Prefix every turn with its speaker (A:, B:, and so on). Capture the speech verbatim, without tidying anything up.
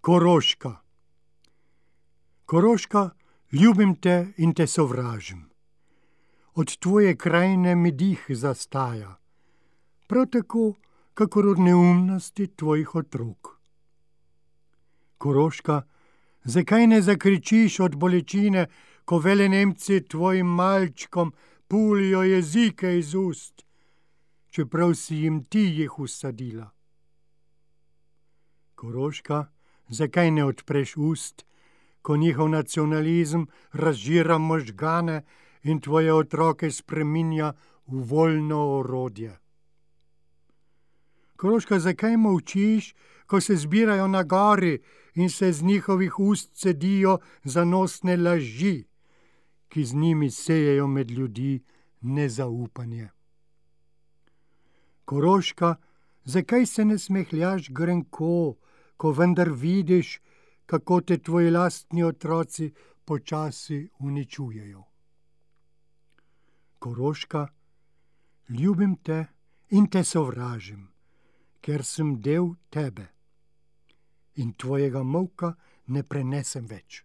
A: Koroška. Koroška, ljubim te in te sovražim. Od tvoje krajine mi dih zastaja, prav tako, kakor od neumnosti tvojih otrok. Koroška, zakaj ne zakričiš od bolečine, ko velenemci tvojim malčkom pulijo jezike iz ust, čeprav si jim ti jih vsadila? Koroška, zakaj ne odpreš ust, ko njihov nacionalizem razžira možgane in tvoje otroke spreminja v voljno orodje? Koroška, zakaj molčiš, ko se zbirajo na gori in se z njihovih ust cedijo zanosne laži, ki z njimi sejejo med ljudi nezaupanje? Koroška, zakaj se ne smehljaš grenko, ko vendar vidiš, kako te tvoji lastni otroci počasi uničujejo? Koroška, ljubim te in te sovražim, ker sem del tebe in tvojega molka ne prenesem več.